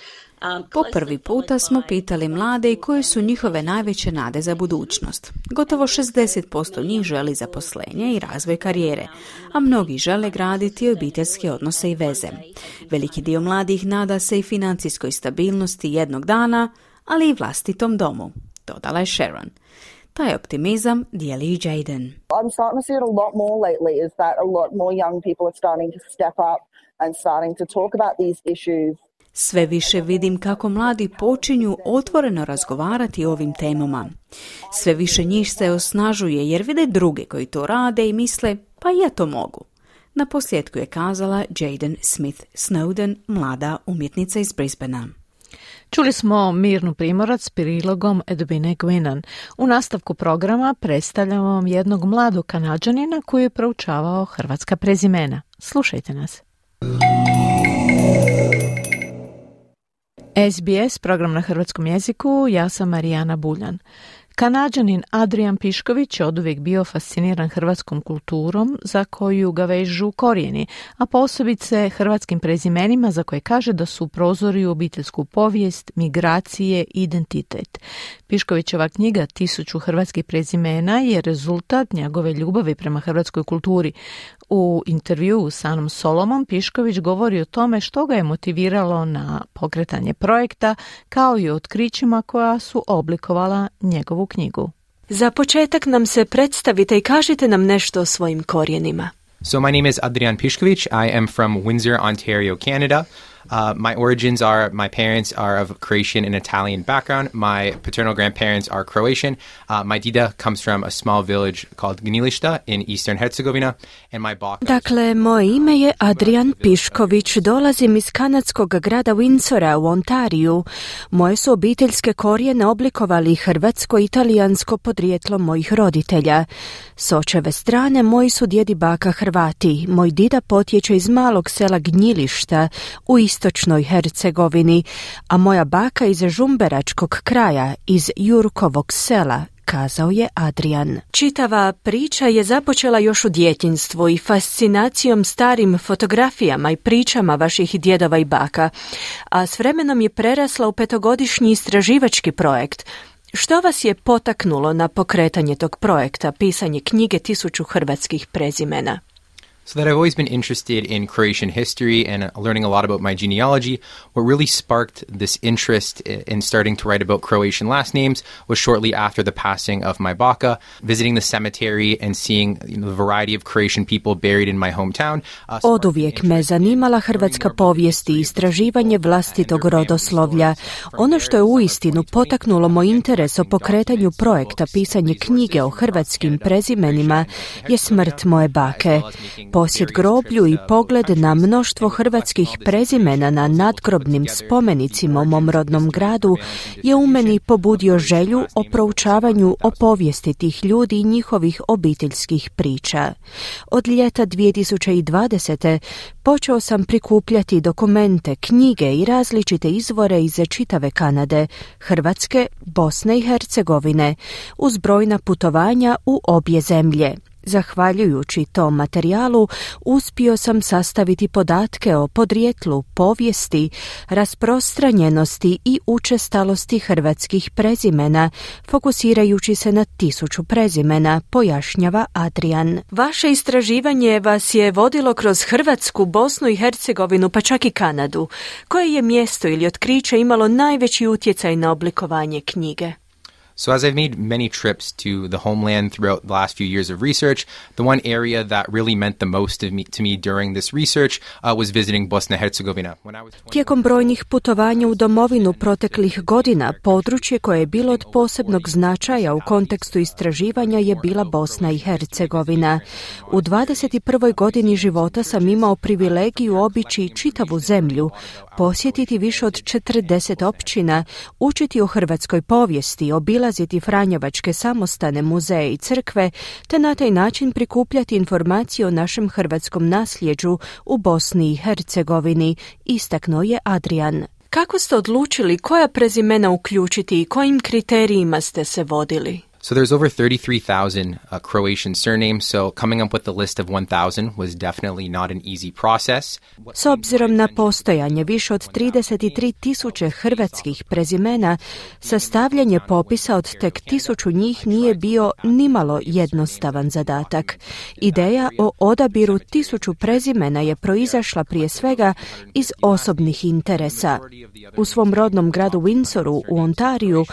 S15: Po prvi puta smo pitali mlade koje su njihove najveće nade za budućnost. Gotovo 60% njih želi zaposlenje i razvoj karijere, a mnogi žele graditi obiteljske odnose i veze. Veliki dio mladih nada se i financijskoj stabilnosti jednog dana, ali i vlastitom domu, dodala je Sharon. Taj optimizam dijeli i Jaden.
S16: I'm starting to see it a lot more lately, is that a lot more young people are starting to step up and starting to talk about these issues.
S15: Sve više vidim kako mladi počinju otvoreno razgovarati o ovim temama. Sve više njih se osnažuje jer vide druge koji to rade i misle, pa ja to mogu. Na posljedku je kazala Jaden Smith Snowden, mlada umjetnica iz Brisbanea.
S3: Čuli smo Mirnu Primorac s prilogom Edwine Gwinan. U nastavku programa predstavljamo vam jednog mladog Kanađanina koji je proučavao hrvatska prezimena. Slušajte nas. SBS, program na hrvatskom jeziku, ja sam Marijana Buljan. Kanađanin Adrian Pišković je oduvijek bio fasciniran hrvatskom kulturom za koju ga vežu korijeni, a posebice hrvatskim prezimenima za koje kaže da su prozori u obiteljsku povijest, migracije i identitet. Piškovićeva knjiga 1000 hrvatskih prezimena je rezultat njegove ljubavi prema hrvatskoj kulturi. U intervjuu s Anom Solomom Pišković govori o tome što ga je motiviralo na pokretanje projekta, kao i o otkrićima koja su oblikovala njegovu knjigu.
S4: Za početak nam se predstavite i kažite nam nešto o svojim korijenima.
S20: So my name is Adrian Pišković. I am from Windsor, Ontario, Canada. My origins are, my parents are of Croatian and Italian background. My paternal grandparents are Croatian. My dida comes from a small village called Gnilišta in Eastern Herzegovina. And my baka...
S4: Dakle, moje ime je Adrian Pišković. Dolazim iz kanadskog grada Windsora u Ontariju. Moje su obiteljske korijene oblikovali hrvatsko-italijansko podrijetlo mojih roditelja. S očeve strane moji su djed i baka Hrvati. Moj dida potječe iz malog sela Gnjilišta u istočnoj Hercegovini, a moja baka iz Žumberačkog kraja, iz Jurkovog sela, kazao je Adrian. Čitava priča je započela još u djetinjstvu i fascinacijom starim fotografijama i pričama vaših djedova i baka, a s vremenom je prerasla u 5-godišnji istraživački projekt. Što vas je potaknulo na pokretanje tog projekta, pisanje knjige 1000 hrvatskih prezimena?
S20: So that I've always been interested in Croatian history and learning a lot about my genealogy. What really sparked this interest in starting to write about Croatian last names was shortly after the passing of my baka, visiting the cemetery and seeing the variety of Croatian people buried in my hometown.
S4: Oduvijek me zanimala hrvatska povijest i istraživanje vlastitog rodoslovlja. Ono što je uistinu potaknulo moj interes o pokretanju projekta pisanje knjige o hrvatskim prezimenima je smrt moje bake. Posjet groblju i pogled na mnoštvo hrvatskih prezimena na nadgrobnim spomenicima u mom rodnom gradu je u meni pobudio želju o proučavanju o povijesti tih ljudi i njihovih obiteljskih priča. Od ljeta 2020. počeo sam prikupljati dokumente, knjige i različite izvore iz čitave Kanade, Hrvatske, Bosne i Hercegovine, uz brojna putovanja u obje zemlje. Zahvaljujući tom materijalu, uspio sam sastaviti podatke o podrijetlu, povijesti, rasprostranjenosti i učestalosti hrvatskih prezimena, fokusirajući se na 1000 prezimena, pojašnjava Adrian. Vaše istraživanje vas je vodilo kroz Hrvatsku, Bosnu i Hercegovinu, pa čak i Kanadu. Koje je mjesto ili otkriće imalo najveći utjecaj na oblikovanje knjige?
S20: So as I've made many trips to the homeland throughout the last few years of research, the one area that really meant the most to me during this research was visiting Bosna and Herzegovina.
S4: Tijekom brojnih putovanja u domovinu proteklih godina, područje koje je bilo od posebnog značaja u kontekstu istraživanja je bila Bosna i Hercegovina. U 21. godini života sam imao privilegiju obići čitavu zemlju, posjetiti više od 40 općina, učiti o hrvatskoj povijesti, obilaziti franjevačke samostane, muzeje i crkve, te na taj način prikupljati informacije o našem hrvatskom nasljeđu u Bosni i Hercegovini, istaknuo je Adrian. Kako ste odlučili koja prezimena uključiti i kojim kriterijima ste se vodili?
S20: So there's over 33,000 Croatian surnames, so coming up with a list of 1,000 was definitely not an easy process.
S4: S obzirom na postojanje više od 33,000 hrvatskih prezimena, sastavljanje popisa od tek 1000 njih nije bio nimalo jednostavan zadatak. Ideja o odabiru 1000 prezimena je proizašla prije svega iz osobnih interesa. U svom rodnom gradu Windsoru u Ontariju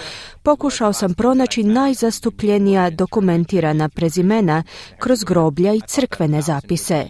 S4: pokušao sam pronaći najzastupljenija dokumentirana prezimena kroz groblja i crkvene zapise.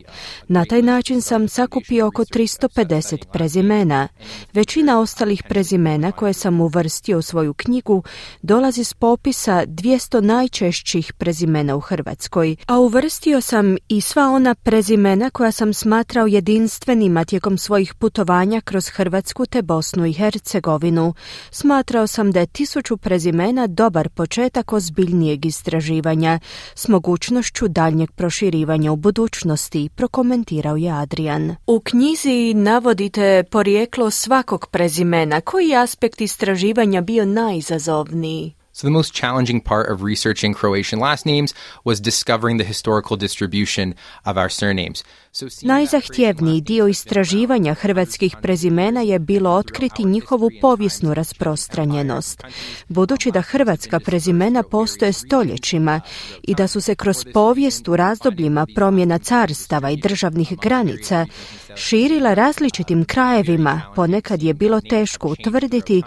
S4: Na taj način sam sakupio oko 350 prezimena. Većina ostalih prezimena koje sam uvrstio u svoju knjigu dolazi s popisa 200 najčešćih prezimena u Hrvatskoj, a uvrstio sam i sva ona prezimena koja sam smatrao jedinstvenima tijekom svojih putovanja kroz Hrvatsku te Bosnu i Hercegovinu. Smatrao sam da je 1000 prezimena dobar početak ozbiljnijeg istraživanja s mogućnošću daljnjeg proširivanja u budućnosti, prokomentirao je Adrian. U knjizi navodite porijeklo svakog prezimena. Koji aspekt istraživanja bio najizazovniji?
S20: So the most challenging part of researching Croatian last names was discovering the historical distribution of our surnames.
S4: Najzahtjevniji dio istraživanja hrvatskih prezimena je bilo otkriti njihovu povijesnu rasprostranjenost. Budući da hrvatska prezimena postoje stoljećima i da su se kroz povijest u razdobljima promjena carstava i državnih granica širila različitim krajevima, ponekad je bilo teško utvrditi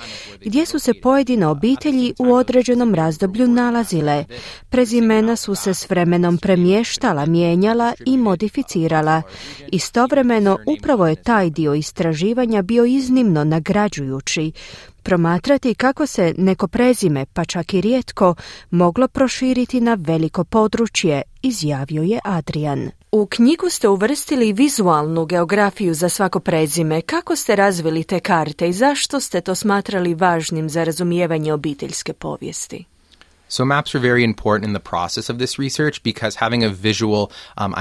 S4: gdje su se pojedine obitelji u određenom razdoblju nalazile. Prezimena su se s vremenom premještala, mijenjala i modificirala. Istovremeno, upravo je taj dio istraživanja bio iznimno nagrađujući. Promatrati kako se neko prezime, pa čak i rijetko, moglo proširiti na veliko područje, izjavio je Adrian. U knjigu ste uvrstili vizualnu geografiju za svako prezime. Kako ste razvili te karte i zašto ste to smatrali važnim za razumijevanje obiteljske povijesti?
S20: So maps are very important in the process of this research because having a visual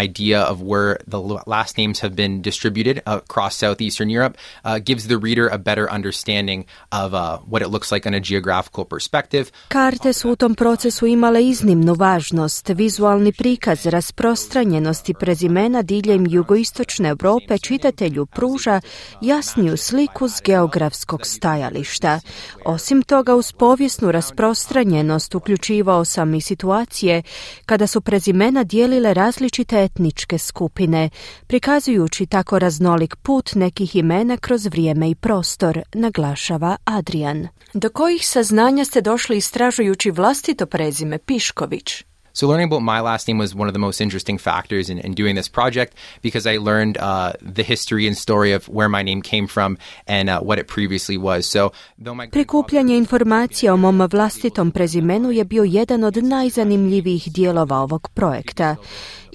S20: idea of where the last names have been distributed across southeastern Europe gives the reader a better understanding of what it looks like on a geographical perspective.
S4: Karte su u tom procesu imale iznimnu važnost. Vizualni prikaz rasprostranjenosti prezimena diljem jugoistočne Europe čitatelju pruža jasniju sliku s geografskog stajališta. Osim toga, uz povijesnu rasprostranjenost uključujući uključivao sam i situacije kada su prezimena dijelile različite etničke skupine, prikazujući tako raznolik put nekih imena kroz vrijeme i prostor, naglašava Adrian. Do kojih saznanja ste došli istražujući vlastito prezime Pišković?
S20: So learning about my last name was one of the most interesting factors in doing this project because I learned the history and story of where my name came from and what it previously was. So
S4: prikupljanje informacija o mom vlastitom prezimenu je bio jedan od najzanimljivijih dijelova ovog projekta.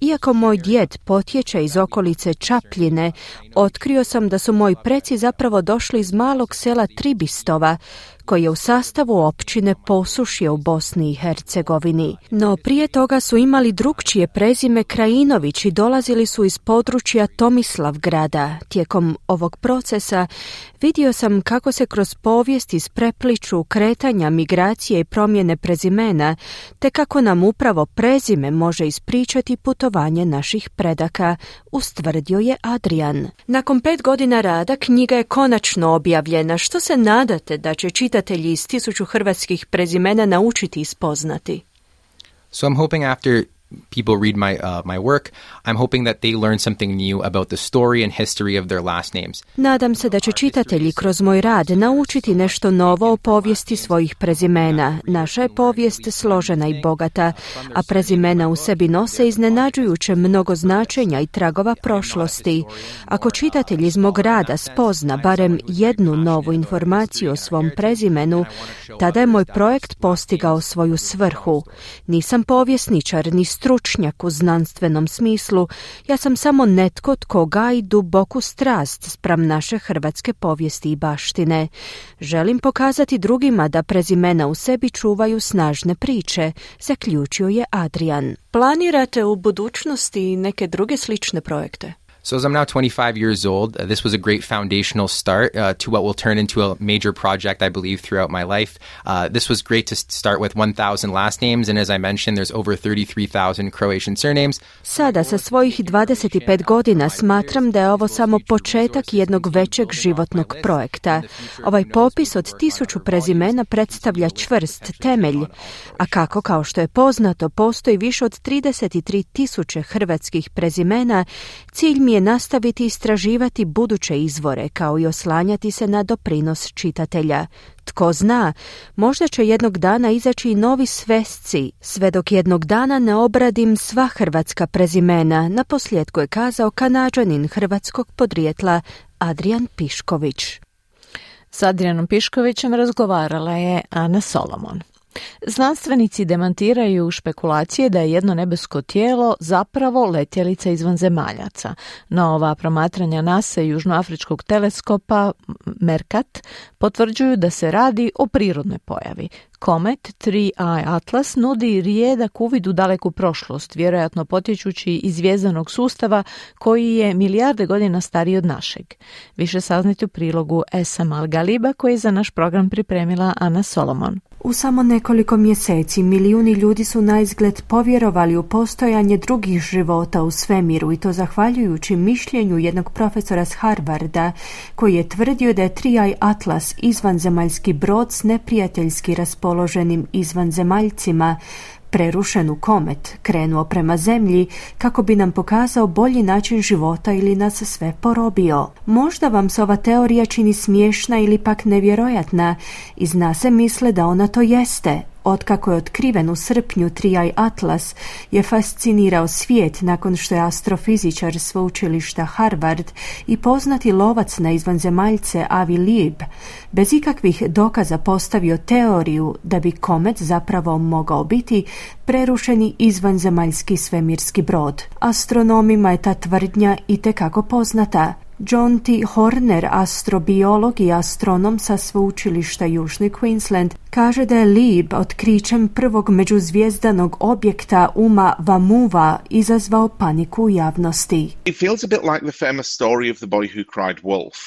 S4: Iako moj djed potječe iz okolice Čapljine, otkrio sam da su moji preci zapravo došli iz malog sela Tribistova, koji je u sastavu općine Posušje u Bosni i Hercegovini. No prije toga su imali drukčije prezime Krajinović i dolazili su iz područja Tomislavgrada. Tijekom ovog procesa vidio sam kako se kroz povijest isprepliču kretanja, migracije i promjene prezimena, te kako nam upravo prezime može ispričati putovanje naših predaka, ustvrdio je Adrian. Nakon 5 godina rada knjiga je konačno objavljena. Što se nadate da će čitatelji iz 1000 hrvatskih prezimena naučiti i spoznati?
S20: So I'm hoping after people read my work, I'm hoping that they learn something new about the story and history of their last names.
S4: Nadam se da će čitatelji kroz moj rad naučiti nešto novo o povijesti svojih prezimena. Naša je povijest složena i bogata, a prezimena u sebi nose iznenađujuće mnogo značenja i tragova prošlosti. Ako čitatelj iz mog rada spozna barem jednu novu informaciju o svom prezimenu, tada je moj projekt postigao svoju svrhu. Nisam povjesničar ni stručnjak u znanstvenom smislu, ja sam samo netko tko gaji duboku strast spram naše hrvatske povijesti i baštine. Želim pokazati drugima da prezimena u sebi čuvaju snažne priče, zaključio je Adrian. Planirate u budućnosti neke druge slične projekte?
S20: So as I'm now 25 years old, this was a great foundational start to what will turn into a major project, I believe, throughout my life. This was great to start with 1,000 last names, and as I mentioned, there's over 33,000 Croatian surnames.
S4: Sada sa svojih 25 godina smatram da je ovo samo početak jednog većeg životnog projekta. Ovaj popis od 1000 prezimena predstavlja čvrst temelj, a kako, kao što je poznato, postoji više od 33,000 hrvatskih prezimena, cilj mi je nastaviti istraživati buduće izvore, kao i oslanjati se na doprinos čitatelja. Tko zna, možda će jednog dana izaći i novi svesci, sve dok jednog dana ne obradim sva hrvatska prezimena, naposljetku je kazao Kanađanin hrvatskog podrijetla Adrian Pišković.
S3: S Adrianom Piškovićem razgovarala je Ana Solomon. Znanstvenici demantiraju špekulacije da je jedno nebesko tijelo zapravo letjelica izvanzemaljaca. Nova promatranja NASA i južnoafričkog teleskopa Mercat potvrđuju da se radi o prirodnoj pojavi. Komet 3I Atlas nudi rijedak uvid u daleku prošlost, vjerojatno potječući iz zvjezdanog sustava koji je milijarde godina stariji od našeg. Više saznati u prilogu Esam Al-Galiba koji je za naš program pripremila Ana Solomon.
S4: U samo nekoliko mjeseci milijuni ljudi su naizgled povjerovali u postojanje drugih života u svemiru i to zahvaljujući mišljenju jednog profesora s Harvarda koji je tvrdio da je 3I Atlas izvanzemaljski brod s neprijateljski raspoloženim izvanzemaljcima prerušen komet krenuo prema zemlji kako bi nam pokazao bolji način života ili nas sve porobio. Možda vam se ova teorija čini smiješna ili pak nevjerojatna i zna se misle da ona to jeste. Otkako je otkriven u srpnju 3I Atlas je fascinirao svijet nakon što je astrofizičar sveučilišta Harvard i poznati lovac na izvanzemaljce Avi Lieb bez ikakvih dokaza postavio teoriju da bi komet zapravo mogao biti prerušeni izvanzemaljski svemirski brod. Astronomima je ta tvrdnja itekako poznata. John T. Horner, astrobiolog i astronom sa sveučilišta Južni Queensland, kaže da je Lieb otkrićem prvog međuzvijezdanog objekta Oumuamua izazvao paniku u javnosti.
S21: It feels a bit like the famous story of the boy who cried wolf.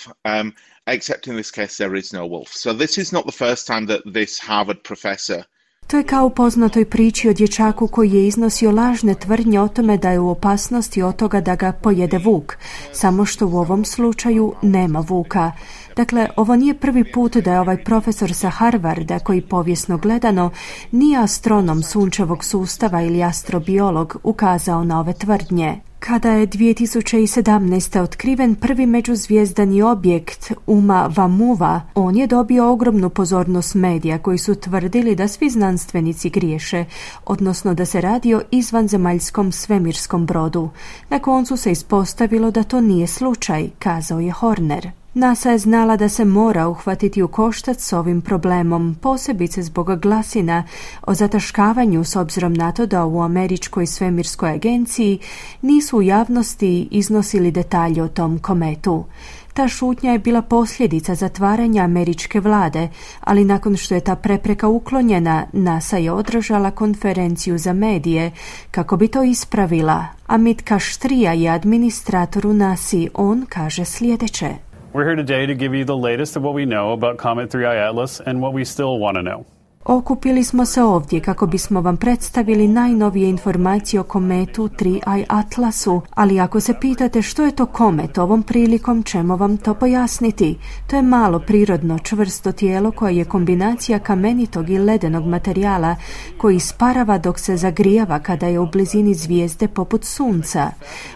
S21: Except in this case there is no wolf. So this is not the first time that this Harvard professor
S4: To je kao u poznatoj priči o dječaku koji je iznosio lažne tvrdnje o tome da je u opasnosti od toga da ga pojede vuk, samo što u ovom slučaju nema vuka. Dakle, ovo nije prvi put da je ovaj profesor sa Harvarda, koji povijesno gledano nije astronom sunčevog sustava ili astrobiolog, ukazao na ove tvrdnje. Kada je 2017. otkriven prvi međuzvijezdani objekt Oumuamua, on je dobio ogromnu pozornost medija koji su tvrdili da svi znanstvenici griješe, odnosno da se radi o izvanzemaljskom svemirskom brodu. Na koncu se ispostavilo da to nije slučaj, kazao je Horner. NASA je znala da se mora uhvatiti u koštac s ovim problemom, posebice zbog glasina o zataškavanju s obzirom na to da u Američkoj svemirskoj agenciji nisu u javnosti iznosili detalje o tom kometu. Ta šutnja je bila posljedica zatvaranja američke vlade, ali nakon što je ta prepreka uklonjena, NASA je održala konferenciju za medije kako bi to ispravila. Amit Kashtrija je administrator u NASA. On kaže sljedeće.
S2: We're here today to give you the latest of what we know about Comet 3I Atlas and what we still want to know.
S4: Okupili smo se ovdje kako bismo vam predstavili najnovije informacije o kometu 3I Atlasu, ali ako se pitate što je to komet, ovom prilikom ćemo vam to pojasniti. To je malo prirodno čvrsto tijelo koje je kombinacija kamenitog i ledenog materijala koji isparava dok se zagrijava kada je u blizini zvijezde poput sunca.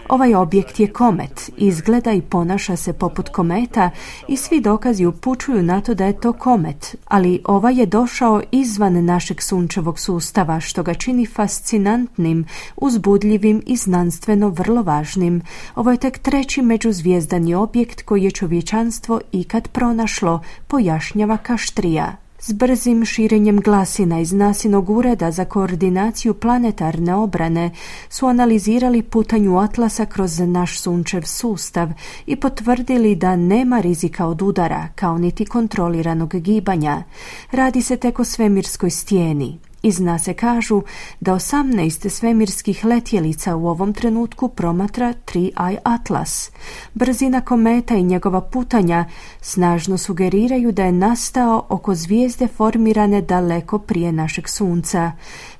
S4: Ovaj objekt je komet, izgleda i ponaša se poput kometa i svi dokazi upućuju na to da je to komet, ali ovaj je došao izvan našeg sunčevog sustava, što ga čini fascinantnim, uzbudljivim i znanstveno vrlo važnim. Ovo je tek treći međuzvijezdani objekt koji je čovječanstvo ikad pronašlo, pojašnjava Kashtrija. S brzim širenjem glasina iz NASInog ureda za koordinaciju planetarne obrane su analizirali putanju Atlasa kroz naš sunčev sustav i potvrdili da nema rizika od udara, kao niti kontroliranog gibanja. Radi se tek o svemirskoj stijeni. Iz NASA kažu da 18 svemirskih letjelica u ovom trenutku promatra 3I Atlas. Brzina kometa i njegova putanja snažno sugeriraju da je nastao oko zvijezde formirane daleko prije našeg sunca.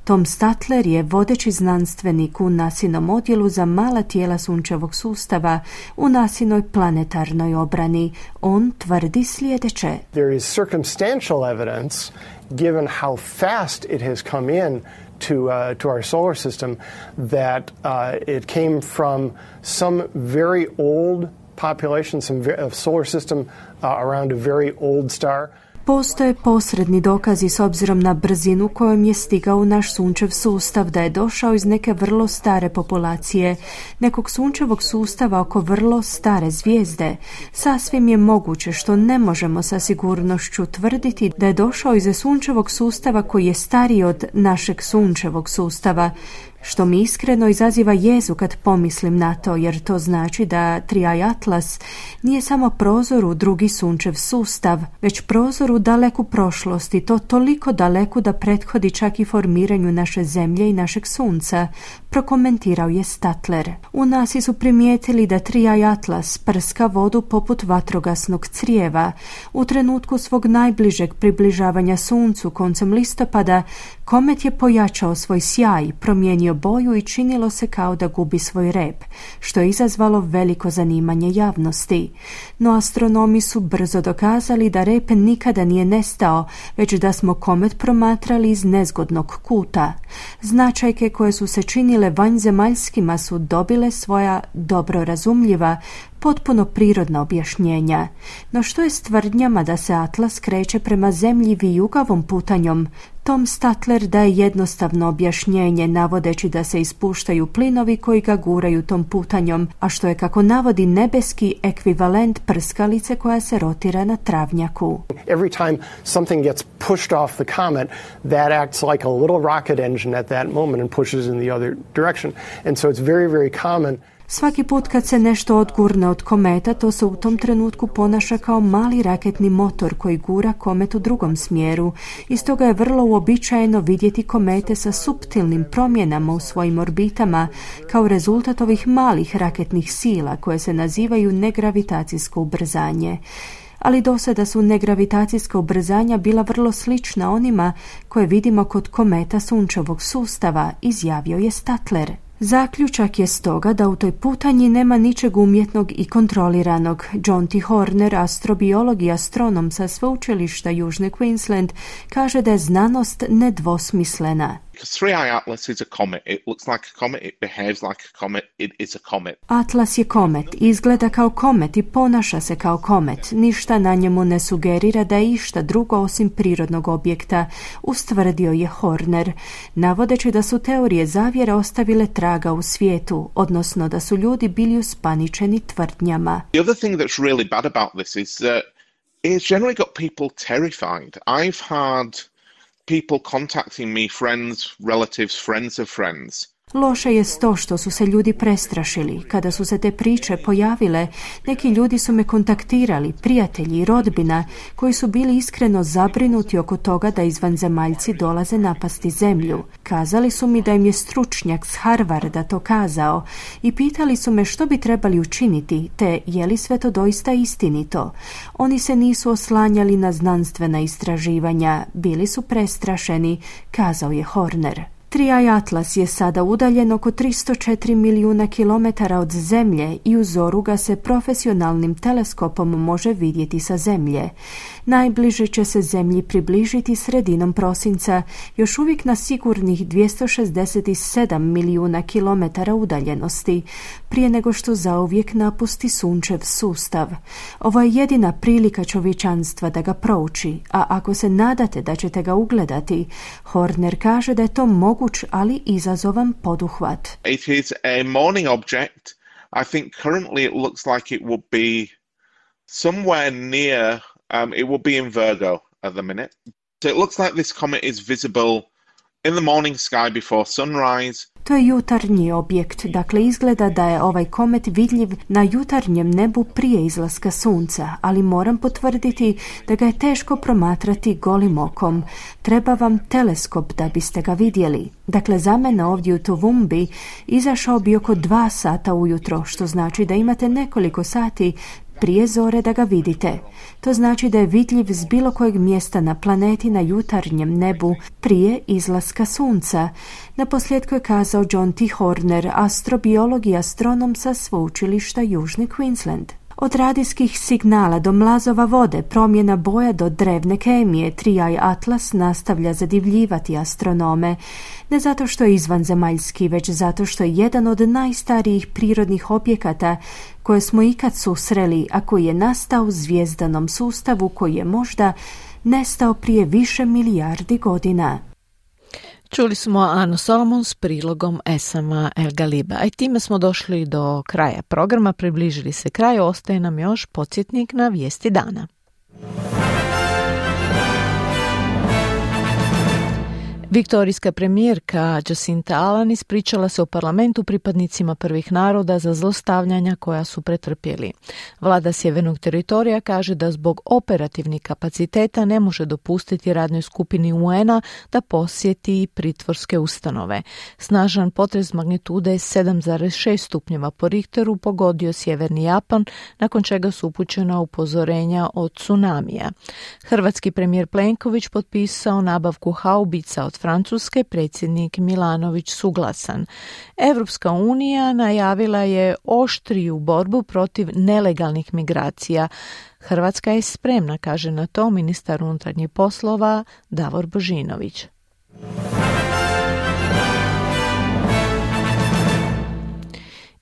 S4: Tom Statler je vodeći znanstvenik u NASInom odjelu za mala tijela sunčevog sustava u NASInoj planetarnoj obrani. On tvrdi sljedeće.
S22: There is circumstantial evidence, given how fast it has come in to our solar system, that it came from some very old population, of solar system around a very old star.
S4: Postoje posredni dokazi s obzirom na brzinu kojom je stigao u naš sunčev sustav da je došao iz neke vrlo stare populacije, nekog sunčevog sustava oko vrlo stare zvijezde. Sasvim je moguće, što ne možemo sa sigurnošću tvrditi, da je došao iz sunčevog sustava koji je stariji od našeg sunčevog sustava, što mi iskreno izaziva jezu kad pomislim na to, jer to znači da 3I Atlas nije samo prozor u drugi sunčev sustav, već prozor u daleku prošlost, i to toliko daleku da prethodi čak i formiranju naše zemlje i našeg sunca, prokomentirao je Statler. U NASA su primijetili da 3I Atlas prska vodu poput vatrogasnog crijeva. U trenutku svog najbližeg približavanja suncu koncem listopada, komet je pojačao svoj sjaj, promijenio boju i činilo se kao da gubi svoj rep, što je izazvalo veliko zanimanje javnosti. No astronomi su brzo dokazali da rep nikada nije nestao, već da smo komet promatrali iz nezgodnog kuta. Značajke koje su se činile vanjzemaljskima su dobile svoja dobro razumljiva, potpuno prirodna objašnjenja. No što je s tvrdnjama da se Atlas kreće prema zemlji vijugavom putanjom? Tom Statler daje jednostavno objašnjenje, navodeći da se ispuštaju plinovi koji ga guraju tom putanjom, a što je, kako navodi, nebeski ekvivalent prskalice koja se rotira na travnjaku.
S22: Every time something gets pushed off the comet, that acts like a little rocket engine at that moment and pushes in the other direction. And so it's very, very common.
S4: Svaki put kad se nešto odgurne od kometa, to se u tom trenutku ponaša kao mali raketni motor koji gura komet u drugom smjeru. I stoga je vrlo uobičajeno vidjeti komete sa suptilnim promjenama u svojim orbitama kao rezultat ovih malih raketnih sila koje se nazivaju negravitacijsko ubrzanje. ali do sada su negravitacijska ubrzanja bila vrlo slična onima koje vidimo kod kometa sunčevog sustava, izjavio je Statler. Zaključak je stoga da u toj putanji nema ničeg umjetnog i kontroliranog. John T. Horner, astrobiolog i astronom sa sveučilišta Južne Queensland, kaže da je znanost nedvosmislena.
S21: Because 3i Atlas is a comet. It looks like a comet, it behaves like a comet, it is a comet.
S4: Atlas je komet, izgleda kao komet i ponaša se kao komet. Ništa na njemu ne sugerira da je išta drugo osim prirodnog objekta, ustvrdio je Horner, navodeći da su teorije zavjere ostavile traga u svijetu, odnosno da su ljudi bili uspaničeni tvrdnjama.
S21: The other thing that's really bad about this is that it's generally got people terrified. I've had people contacting me, friends, relatives, friends of friends.
S4: Loše je to što su se ljudi prestrašili. Kada su se te priče pojavile, neki ljudi su me kontaktirali, prijatelji i rodbina, koji su bili iskreno zabrinuti oko toga da izvanzemaljci dolaze napasti zemlju. Kazali su mi da im je stručnjak s Harvarda to kazao i pitali su me što bi trebali učiniti, te je li sve to doista istinito. Oni se nisu oslanjali na znanstvena istraživanja, bili su prestrašeni, kazao je Horner. 3i Atlas je sada udaljen oko 304 milijuna kilometara od Zemlje i u zoru ga se profesionalnim teleskopom može vidjeti sa Zemlje. Najbliže će se Zemlji približiti sredinom prosinca, još uvijek na sigurnih 267 milijuna kilometara udaljenosti, prije nego što zauvijek napusti sunčev sustav. Ovo je jedina prilika čovječanstva da ga prouči, a ako se nadate da ćete ga ugledati, Horner kaže da je to moguć, ali izazovan poduhvat.
S21: It is a morning object. I think currently it looks like it would be somewhere near, it would be in Virgo at the minute. So it looks like this comet is visible in the morning sky before sunrise.
S4: To je jutarnji objekt, dakle izgleda da je ovaj komet vidljiv na jutarnjem nebu prije izlaska sunca, ali moram potvrditi da ga je teško promatrati golim okom. Treba vam teleskop da biste ga vidjeli. Dakle, za mene ovdje u Toowoomba izašao bi oko 2 sata ujutro, što znači da imate nekoliko sati prije zore da ga vidite. To znači da je vidljiv s bilo kojeg mjesta na planeti na jutarnjem nebu prije izlaska sunca. Naposljetku je kazao John T. Horner, astrobiolog i astronom sa sveučilišta Južni Queensland. Od radijskih signala do mlazova vode, promjena boja do drevne kemije, 3i Atlas nastavlja zadivljivati astronome. Ne zato što je izvanzemaljski, već zato što je jedan od najstarijih prirodnih objekata koje smo ikad susreli, a koji je nastao u zvjezdanom sustavu koji je možda nestao prije više milijardi godina.
S3: Čuli smo Anu Solomon s prilogom Esama El Galiba. A i time smo došli do kraja programa, približili se kraju, ostaje nam još podsjetnik na vijesti dana. Viktorijska premijerka Jacinta Allan ispričala se u parlamentu pripadnicima prvih naroda za zlostavljanja koja su pretrpjeli. Vlada Sjevernog teritorija kaže da zbog operativnih kapaciteta ne može dopustiti radnoj skupini UN-a da posjeti pritvorske ustanove. Snažan potres magnitude 7,6 stupnjeva po Richteru pogodio sjeverni Japan, nakon čega su upućena upozorenja od tsunamija. Hrvatski premijer Plenković potpisao nabavku haubica od Francuske, predsjednik Milanović suglasan. Europska unija najavila je oštriju borbu protiv nelegalnih migracija. Hrvatska je spremna, kaže na to ministar unutarnjih poslova Davor Božinović.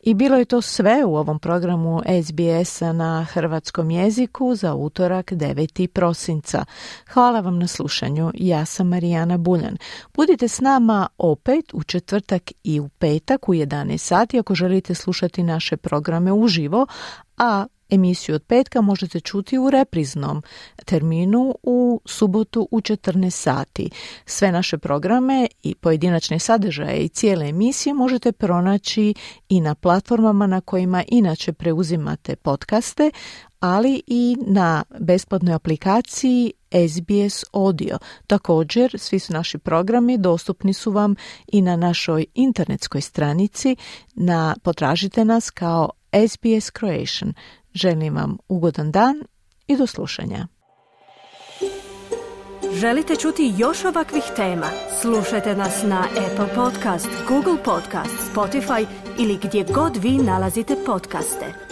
S3: I bilo je to sve u ovom programu SBS-a na hrvatskom jeziku za utorak 9. prosinca. Hvala vam na slušanju. Ja sam Marijana Buljan. Budite s nama opet u četvrtak i u petak u 11 sati ako želite slušati naše programe uživo, a emisiju od petka možete čuti u repriznom terminu u subotu u 14 sati. Sve naše programe i pojedinačne sadržaje i cijele emisije možete pronaći i na platformama na kojima inače preuzimate podcaste, ali i na besplatnoj aplikaciji SBS Audio. Također, svi su naši programi dostupni su vam i na našoj internetskoj stranici. Potražite nas kao SBS Croatian. Želim vam ugodan dan i do slušanja.
S1: Želite čuti još ovakvih tema? Slušajte nas na Apple Podcast, Google Podcast, Spotify ili gdje god vi nalazite podcaste.